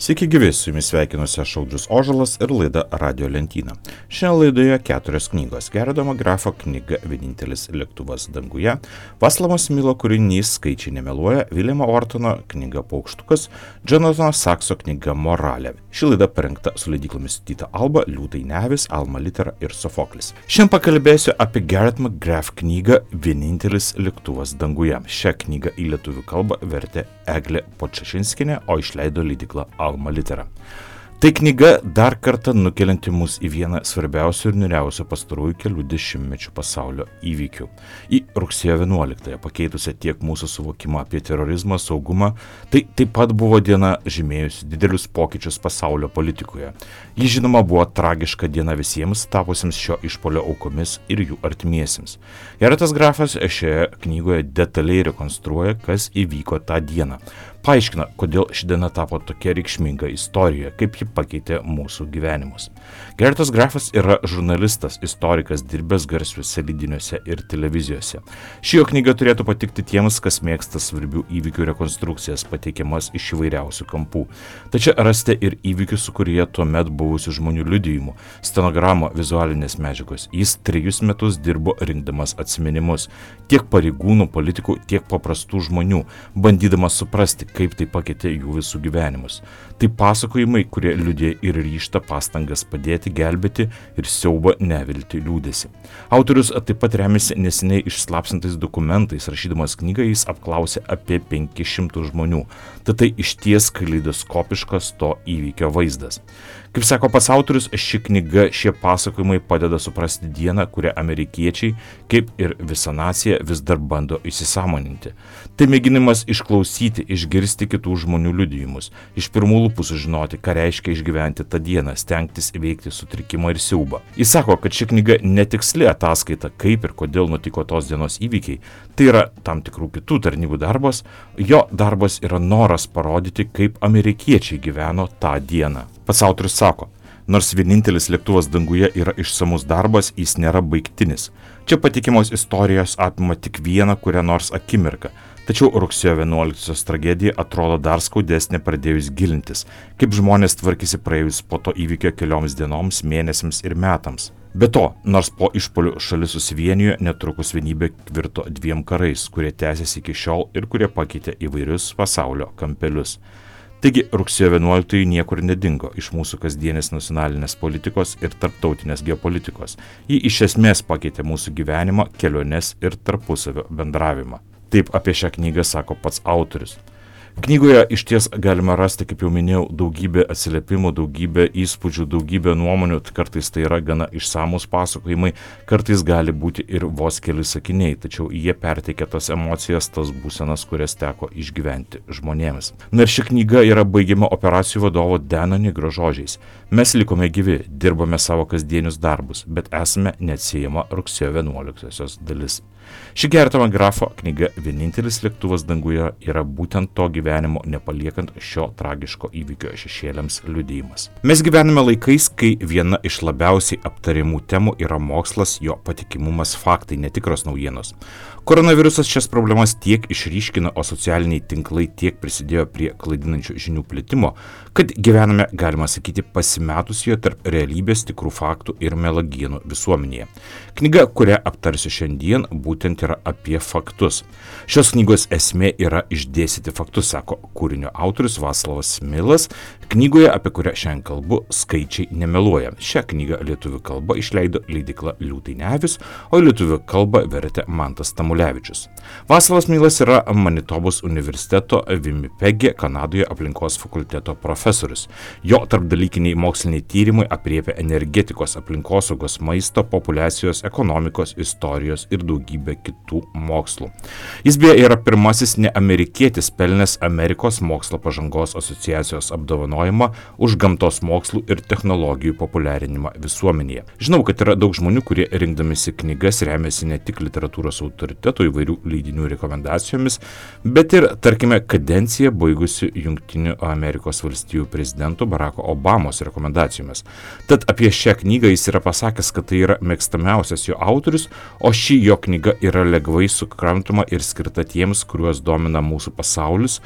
Sveiki gyvi, su jumis sveikinuosi aš Audrius Ožalas ir laida Radio lentyna. Šiandien laidoje 4 knygos. Gerdomo Grafo knyga Vienintelis lėktuvas danguje, Václavo Smilo kūrinys Skaičiai nemeluoja, Viljamo Ortono knyga Paukštukas, Jonatano Sakso knyga Moralė. Ši laida parengta su leidyklomis Tyto Alba, Liūtai Nevis, Alma Litera ir Sofoklis. Šiandien pakalbėsiu apie Gerdomo Grafo knygą Vienintelis lėktuvas danguje. Šią knygą į lietuvių kalbą vertė Eglė Podčašinskienė, o išleido leidykla Alma Litera. Tai knyga dar kartą nukelianti mus į vieną svarbiausių ir niūriausių pastarųjų kelių dešimtmečių pasaulio įvykių. Į rugsėjo 11-ąją pakeitusią tiek mūsų suvokimą apie terorizmą, saugumą, tai taip pat buvo diena žymėjusi didelius pokyčius pasaulio politikoje. Ji žinoma buvo tragiška diena visiems tapusiems šio išpolio aukomis ir jų artimiesiems. Gerdomas Grafas šioje knygoje detaliai rekonstruoja, kas įvyko tą dieną. Paaiškina, kodėl ši diena tapo tokia reikšminga istorijoje, kaip ji pakeitė mūsų gyvenimus. Gerdomas Grafas yra žurnalistas, istorikas, dirbęs garsiuose leidiniuose ir televizijose. Ši jo knyga turėtų patikti tiems, kas mėgsta svarbių įvykių rekonstrukcijas, pateikiamas iš įvairiausių kampų. Tačiau rasite ir įvykių, su kurie tuomet buvusių žmonių liudijimų, stenogramo, vizualinės medžiagos. Jis 3 metus dirbo rinkdamas atsiminimus, tiek pareigūnų, politikų, tiek paprastų žmonių, bandydamas suprasti, kaip tai pakeitė jų visų gyvenimus. Tai pasakojimai, kurie liudija ir ryžtą pastangas padėti, gelbėti ir siaubą nevilti liūdėsi. Autorius taip pat remiasi neseniai išslapsintais dokumentais, rašydamas knygą jis apklausė apie 500 žmonių. Tai išties kaleidoskopiškas to įvykio vaizdas. Kaip sako pats autorius, ši knyga, šie pasakojimai padeda suprasti dieną, kurią amerikiečiai, kaip ir visa nacija, vis dar bando įsisąmoninti. Tai mėginimas išklausyti, išgirsti kitų žmonių liudijimus, iš pirmų lūpų sužinoti, ką reiškia išgyventi tą dieną, stengtis įveikti sutrikimą ir siaubą. Jis sako, kad ši knyga netiksli ataskaita, kaip ir kodėl nutiko tos dienos įvykiai, tai yra tam tikrų kitų tarnybų darbas, jo darbas yra noras parodyti, kaip amerikiečiai gyveno tą dieną. Pats autorius sako, nors vienintelis lėktuvas danguje yra išsamus darbas, jis nėra baigtinis. Čia patikimos istorijos apima tik vieną kurią nors akimirką, tačiau rugsėjo 11-osios tragedija atrodo dar skaudesnė pradėjus gilintis, kaip žmonės tvarkėsi praėjus po to įvykio kelioms dienoms, mėnesiams ir metams. Be to, nors po išpolių šalis susivienijo, netrukus vienybė virto 2 karais, kurie tęsiasi iki šiol ir kurie pakeitė įvairius pasaulio kampelius. Taigi rugsėjo 11 niekur nedingo iš mūsų kasdienės nacionalinės politikos ir tarptautinės geopolitikos. Ji iš esmės pakeitė mūsų gyvenimą, keliones ir tarpusavio bendravimą. Taip apie šią knygą sako pats autorius. Knygoje iš ties galima rasti, kaip jau minėjau, daugybę atsiliepimų, daugybę įspūdžių, daugybę nuomonių, kartais tai yra gana išsamus pasakojimai, kartais gali būti ir vos keli sakiniai, tačiau jie perteikia tas emocijas, tas būsenas, kurias teko išgyventi žmonėms. Na ir ši knyga yra baigiama operacijų vadovo Dano Nigro žodžiais. Mes likome gyvi, dirbame savo kasdienius darbus, bet esame neatsiejama rugsėjo 11-osios dalis. Ši Gerdomo Grafo knyga Vienintelis lėktuvas danguje yra būtent to gyvenimo nepaliekant šio tragiško įvykio šešėliams liudijimas. Mes gyvename laikais, kai viena iš labiausiai aptariamų temų yra mokslas, jo patikimumas, faktai, netikros naujienos. Koronavirusas šias problemas tiek išryškino, o socialiniai tinklai tiek prisidėjo prie klaidinančių žinių plitimo, kad gyvename, galima sakyti, pasimetusioje tarp realybės, tikrų faktų ir melagienų visuomenėje. Knyga, kurią aptarsiu šiandien, būtent yra apie faktus. Šios knygos esmė yra išdėstyti faktus, sako kūrinio autorius Václavas Smilas, knygoje, apie kurią šiandien kalbu, Skaičiai nemeluoja. Šią knygą lietuvių kalba išleido leidykla Liūtai Nevis, o lietuvių kalba vertė Mantas Tamulevičius. Václavas Smilas yra Manitobos universiteto Winnipege, Kanadoje aplinkos fakulteto profesorius. Jo tarpdalykiniai moksliniai tyrimai apriepia energetikos, aplinkosaugos, maisto, populiacijos, ekonomikos, istorijos ir daugybę kitų mokslų. Jis beje yra pirmasis neamerikietis pelnęs Amerikos mokslo pažangos asociacijos apdovanojimą už gamtos mokslų ir technologijų populiarinimą visuomenėje. Žinau, kad yra daug žmonių, kurie rinkdamisi knygas remiasi ne tik literatūros autoritetų įvairių leidinių rekomendacijomis, bet ir, tarkime, kadenciją baigusių Jungtinių Amerikos valstijų prezidento Baracko Obamos rekomendacijomis. Tad apie šią knygą jis yra pasakęs, kad tai yra mėgstamiausias jo autorius, o ši jo knyga yra lengvai sukrantama ir skirta tiems, kuriuos domina mūsų pasaulis,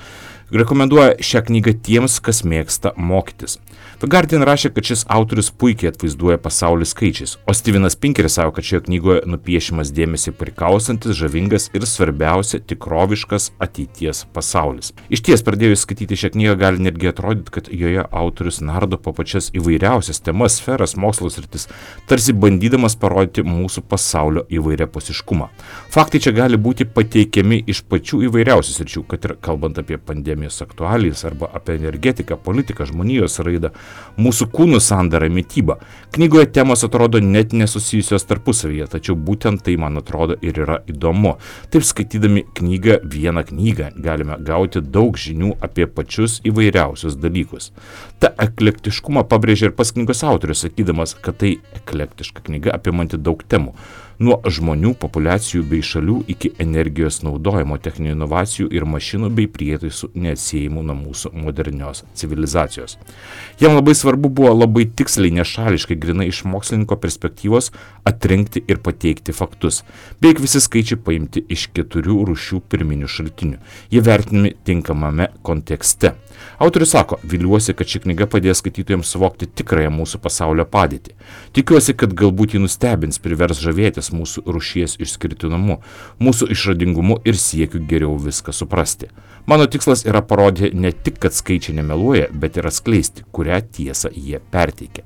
Rekomenduoja šią knygą tiems, kas mėgsta mokytis. The Guardian rašė, kad šis autorius puikiai atvaizduoja pasaulį skaičiais, o Stevenas Pinkeris savo, kad šioje knygoje nupiešimas dėmesį prikausantis, žavingas ir svarbiausia tikroviškas ateities pasaulis. Iš ties, pradėjus skaityti šią knygą, gali netgi atrodyti, kad joje autorius nardo po pačias įvairiausias temas, sferas, mokslo sritis, tarsi bandydamas parodyti mūsų pasaulio įvairiapusiškumą. Faktai čia gali būti pateikiami iš pačių įvairiausių sričių, kad ir kalbant apie pandemijos aktualijas arba apie energetiką, politiką, žmonijos raidą, mūsų kūnų sandarą, mitybą. Knygoje temos atrodo net nesusijusios tarpusavyje, tačiau būtent tai, man atrodo, ir yra įdomu. Taip skaitydami vieną knygą galime gauti daug žinių apie pačius įvairiausius dalykus. Ta eklektiškumą pabrėžia ir pats knygos autorius, sakydamas, kad tai eklektiška knyga apimanti daug temų. Nuo žmonių, populiacijų bei šalių iki energijos naudojimo, techninių inovacijų ir mašinų bei prietaisų neatsiejimų nuo mūsų modernios civilizacijos. Jam labai svarbu buvo labai tiksliai, nešališkai, grinai iš mokslininko perspektyvos atrinkti ir pateikti faktus. Beveik visi skaičiai paimti iš 4 rūšių pirminių šaltinių. Jie vertinami tinkamame kontekste. Autorius sako, viliuosi, kad ši knyga padės skaitytojams suvokti tikrąją mūsų pasaulio padėtį. Tikiuosi, kad galbūt jį nustebins, privers žavėtis mūsų rūšies išskirtinumu, mūsų išradingumu ir siekiu geriau viską suprasti. Mano tikslas yra parodyti ne tik, kad skaičiai nemeluoja, bet ir atskleisti, kurią tiesą jie perteikia.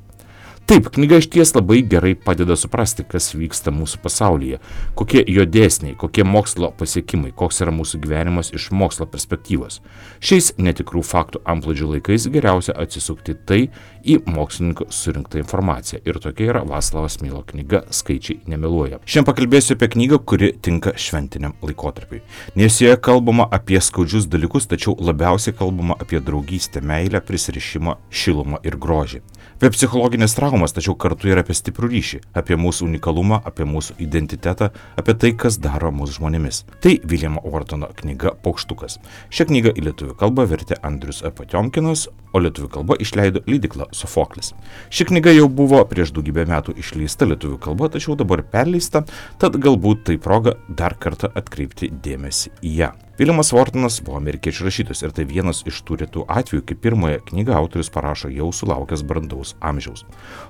Taip, knyga išties labai gerai padeda suprasti, kas vyksta mūsų pasaulyje, kokie jo dėsniai, kokie mokslo pasiekimai, koks yra mūsų gyvenimas iš mokslo perspektyvos. Šiais netikrų faktų antplūdžių laikais geriausia atsisukti tai į mokslininko surinktą informaciją. Ir tokia yra Vaclavo Smilo knyga Skaičiai nemeluoja. Šiandien pakalbėsiu apie knygą, kuri tinka šventiniam laikotarpiui. Nes joje kalbama apie skaudžius dalykus, tačiau labiausiai kalbama apie draugystę, meilę, prisirišimą, šilumą ir grožį. Apie psichologinės traumas, tačiau kartu ir apie stiprų ryšį, apie mūsų unikalumą, apie mūsų identitetą, apie tai, kas daro mūsų žmonėmis. Tai Viljamo Ortono knyga Paukštukas. Šią knygą į lietuvių kalbą vertė Andrius Potiomkinas, o lietuvių kalba išleido leidykla Sofoklis. Ši knyga jau buvo prieš daugybę metų išleista lietuvių kalba, tačiau dabar perleista, tad galbūt tai proga dar kartą atkreipti dėmesį į ją. Viljamas Ortonas buvo amerikiečių rašytojas ir tai vienas iš tų retų atvejų, kai pirmąją knygą autorius parašo jau sulaukęs brandaus amžiaus.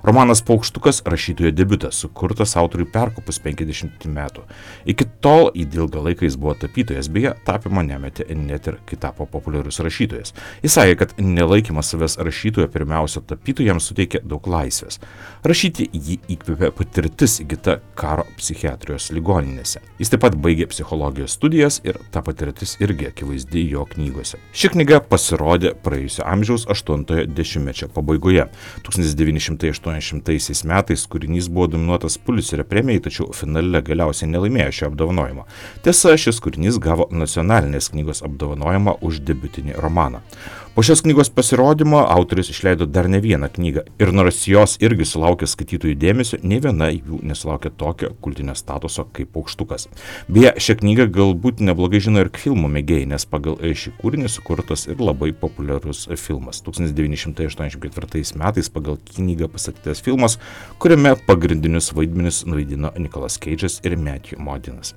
Romanas Paukštukas rašytojo debiutas, sukurtas autoriui perkopus 50 metų. Iki tol į ilgą laiką jis buvo tapytojas, beje, tapymą nemetė net ir kai tapo populiarus rašytojas. Jis sakė, kad nelaikymas savęs rašytojo pirmiausia tapytojams suteikė daug laisvės. Rašyti jį įkvėpė patirtis įgyta karo psichiatrijos ligoninėse. Jis taip pat baigė psichologijos studijas ir ta patirtis irgi akivaizdi jo knygose. Ši knyga pasirodė praėjusio amžiaus 80-ojo dešimtmečio pabaigoje. 1980 metais kūrinys buvo nominuotas Pulitzerio premijai, tačiau finale galiausiai nelaimėjo šio apdovanojimo. Tiesa, šis kūrinys gavo nacionalinės knygos apdovanojimą už debiutinį romaną. Po šios knygos pasirodymo autorius išleido dar ne vieną knygą ir nors jos irgi sulaukė skaitytojų dėmesio, nei viena jų nesulaukė tokio kultinio statuso kaip Paukštukas. Beje, šią knygą galbūt neblogai žino ir filmų mėgėjai, nes pagal šį kūrinį sukurtas ir labai populiarus filmas. 1984 metais pagal knygą pastatytas filmas, kuriame pagrindinius vaidmenis nuvaidino Nicolas Cage'as ir Matthew Modinas.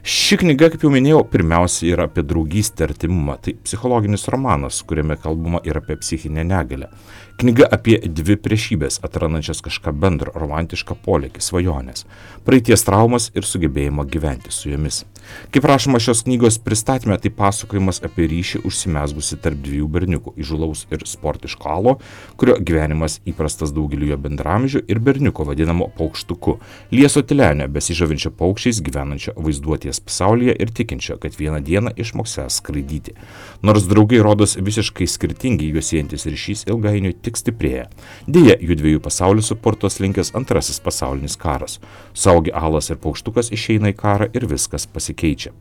Ši knyga, kaip jau minėjau, pirmiausia yra apie draugystę ir artimumą. Tai psichologinis romanas, kuriame kalbama ir apie psichinę negalią. Knyga apie dvi priešybės, atrandančias kažką bendro, romantišką polėkį, svajonės, praeities traumas ir sugebėjimo gyventi su jomis. Kaip rašoma šios knygos pristatyme, tai pasakojimas apie ryšį užsimezgusi tarp dviejų berniukų, įžūlaus ir sportiško Alo, kurio gyvenimas įprastas daugeliu jo bendramžių, ir berniuko vadinamo Paukštuku, lieso tylenio, besižavinčio paukščiais, gyvenančio vaizduotės pasaulyje ir tikinčio, kad vieną dieną išmoksės skraidyti. Nors draugai rodos visiškai skirtingi, juos siejantis ryšys ilgainiui tik stiprėja. Deja, jų dviejų pasaulių supurtos linkęs antrasis pasaulinis karas. Saugi Alas ir Paukštukas išeina į karą ir viskas pasikeičia.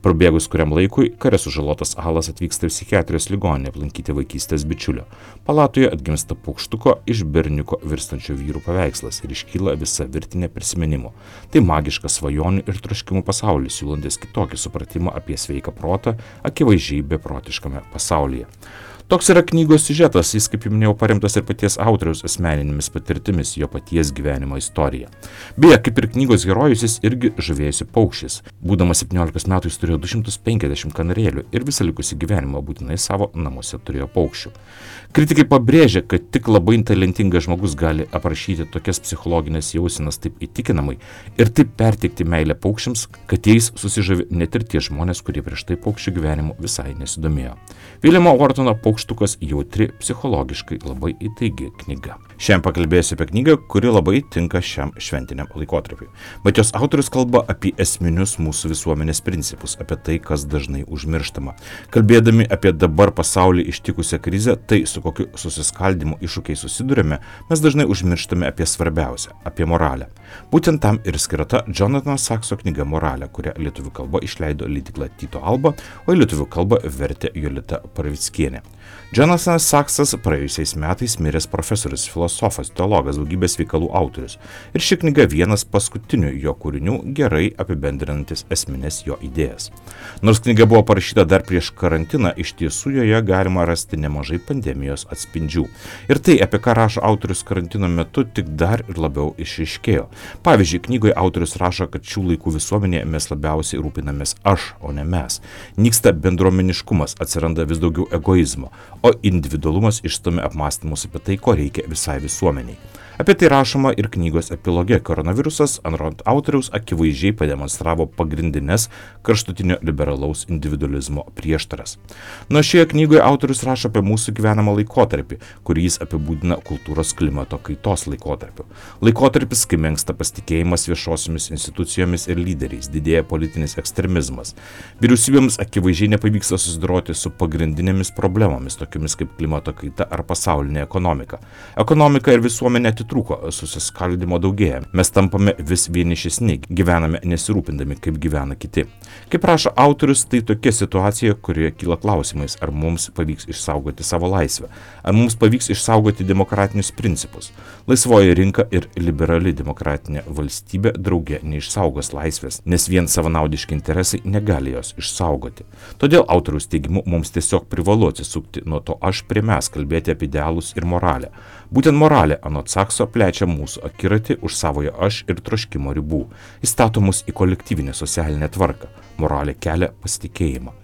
Prabėgus kuriam laikui, kare sužalotas Alas atvyksta į psichiatrijos ligoninę aplankyti vaikystės bičiulio. Palatoje atgimsta Paukštuko iš berniuko virstančio vyrų paveikslas ir iškyla visa virtinė prisiminimų. Tai magiškas svajonių ir troškimų pasaulis, siūlantis kitokį supratimą apie sveiką protą, akivaizdžiai beprotiškame pasaulyje. Toks yra knygos siužetas, jis, kaip jau minėjau, paremtas ir paties autoriaus asmeninėmis patirtimis, jo paties gyvenimo istorija. Beje, kaip ir knygos herojus, jis irgi žavėjosi paukščiais. Būdamas 17 metų jis turėjo 250 kanarėlių ir visą likusį gyvenimą būtinai savo namuose turėjo paukščių. Kritikai pabrėžia, kad tik labai talentingas žmogus gali aprašyti tokias psichologinės jausenas taip įtikinamai ir taip perteikti meilę paukščiams, kad jais susižavi net ir tie žmonės, kurie prieš tai paukščių gyvenimu visai nesidomėjo. Viljamo Vortono Paukštukas jautri, psichologiškai labai įtaigi knyga. Šiandien pakalbėsiu apie knygą, kuri labai tinka šiam šventiniam laikotarpiui. Bet jos autorius kalba apie esminius mūsų visuomenės principus, apie tai, kas dažnai užmirštama. Kalbėdami apie dabar pasaulį ištikusią krizę, tai su kokiu susiskaldimu iššūkiai susidurime, mes dažnai užmirštame apie svarbiausią, apie moralę. Būtent tam ir skirta Jonatano Sakso knyga Moralė, kurią lietuvių kalba išleido leidykla Tyto Alba, o į lietuvių kalbą vertė Jolita Parvickienė. Jonathanas Saksas praėjusiais metais miręs profesorius, filosofas, teologas, daugybės veikalų autorius. Ir ši knyga vienas paskutinių jo kūrinių, gerai apibendrinantis esminės jo idėjas. Nors knyga buvo parašyta dar prieš karantiną, iš tiesų joje galima rasti nemažai pandemijos atspindžių. Ir tai, apie ką rašo autorius karantino metu, tik dar ir labiau išryškėjo. Pavyzdžiui, knygoje autorius rašo, kad šių laikų visuomenėje mes labiausiai rūpinamės aš, o ne mes. Nyksta bendruomeniškumas, atsiranda vis daugiau egoizmo, o individualumas išstumia apmąstymus apie tai, ko reikia visai visuomeniai. Apie tai rašoma ir knygos epiloge. Koronavirusas, anot autoriaus, akivaizdžiai pademonstravo pagrindinės kraštutinio liberalaus individualizmo prieštaras. Nuo šioje knygoje autorius rašo apie mūsų gyvenamą laikotarpį, kurį jis apibūdina kultūros klimato kaitos laikotarpiu. Laikotarpis, kai menksta pasitikėjimas viešosiomis institucijomis ir lyderiais, didėja politinis ekstremizmas. Vyriausybėms akivaizdžiai nepavyksta susidoroti su pagrindinėmis problemomis, tokiamis kaip klimato kaita ar pasaulinė ekonomika. Ekonomika ir visuomenė trūko, susiskaldimo daugėja. Mes tampame vis vienišesni, gyvename nesirūpindami, kaip gyvena kiti. Kaip rašo autorius, tai tokia situacija, kurioje kyla klausimais, ar mums pavyks išsaugoti savo laisvę, ar mums pavyks išsaugoti demokratinius principus. Laisvoji rinka ir liberali demokratinė valstybė drauge neišsaugos laisvės, nes vien savanaudiški interesai negali jos išsaugoti. Todėl autoriaus teigimu mums tiesiog privalu atsisukti nuo to aš prie mes, kalbėti apie idealus ir moralę. Būtent moralė, anot Sakso, plečia mūsų akiratį už savojo aš ir troškimo ribų. Įstato mus į kolektyvinę socialinę tvarką. Moralė kelia pasitikėjimą.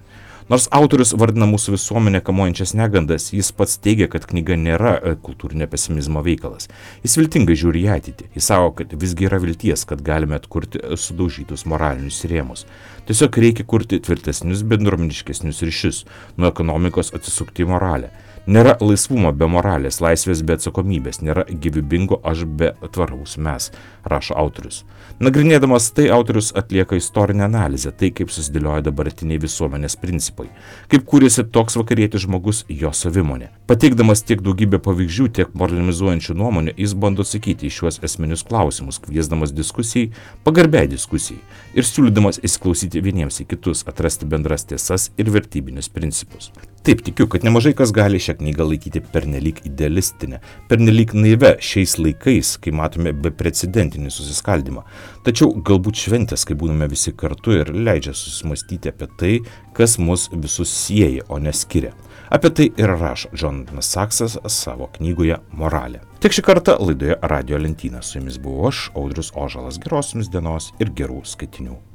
Nors autorius vardina mūsų visuomenę kamuojančias negandas, jis pats teigia, kad knyga nėra kultūrinio pesimizmo veikalas. Jis viltingai žiūri į ateitį. Jis sako, kad visgi yra vilties, kad galime atkurti sudaužytus moralinius rėmus. Tiesiog reikia kurti tvirtesnius, bendruomeniškesnius ryšius, nuo ekonomikos atsisukti į moralę. Nėra laisvumo be moralės, laisvės be atsakomybės, nėra gyvybingo aš be tvaraus mes, rašo autorius. Nagrinėdamas tai, autorius atlieka istorinę analizę, tai kaip susidėlioja dabartiniai visuomenės principai, kaip kūrėsi toks vakarietis žmogus, jo savimonė. Pateikdamas tiek daugybę pavyzdžių, tiek moralizuojančių nuomonių, jis bando atsakyti į šiuos esminius klausimus, kviesdamas diskusijai, pagarbiai diskusijai ir siūlydamas įsiklausyti vieniems į kitus, atrasti bendras tiesas ir vertybinius principus. Taip, tikiu, kad nemažai kas gali šią knygą laikyti pernelyg idealistinę, pernelyg naivę šiais laikais, kai matome beprecedentinį susiskaldimą. Tačiau galbūt šventės, kai būname visi kartu ir leidžia susimastyti apie tai, kas mus visus sieja, o neskiria. Apie tai ir rašo Jonathanas Saksas savo knygoje Moralė. Tik šį kartą laidoje Radio Lentyna. Su jumis buvau aš, Audrius Ožalas. Geros jums dienos ir gerų skaitinių.